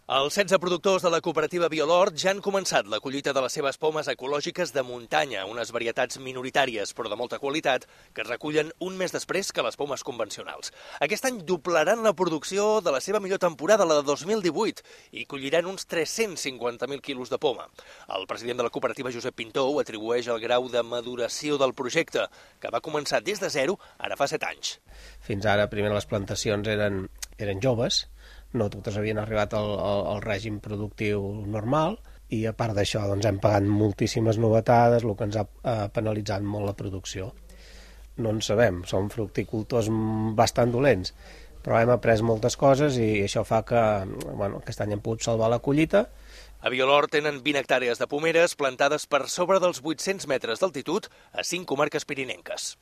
Els 16 productors de la cooperativa Biolort ja han començat la collita de les seves pomes ecològiques de muntanya, unes varietats minoritàries però de molta qualitat que es recullen un mes després que les pomes convencionals. Aquest any doblaran la producció de la seva millor temporada, la de 2018, i colliran uns 350.000 quilos de poma. El president de la cooperativa, Josep Pintó, ho atribueix al grau de maduració del projecte, que va començar des de zero ara fa 7 anys. Fins ara, primer les plantacions eren joves, no totes havien arribat al règim productiu normal, i a part d'això doncs, hem pagat moltíssimes novetades, el que ens ha penalitzat molt la producció. No en sabem, som fructicultors bastant dolents, però hem après moltes coses i això fa que aquest any hem pogut salvar la collita. A Biolort tenen 20 hectàrees de pomeres plantades per sobre dels 800 metres d'altitud a 5 comarques pirinenques.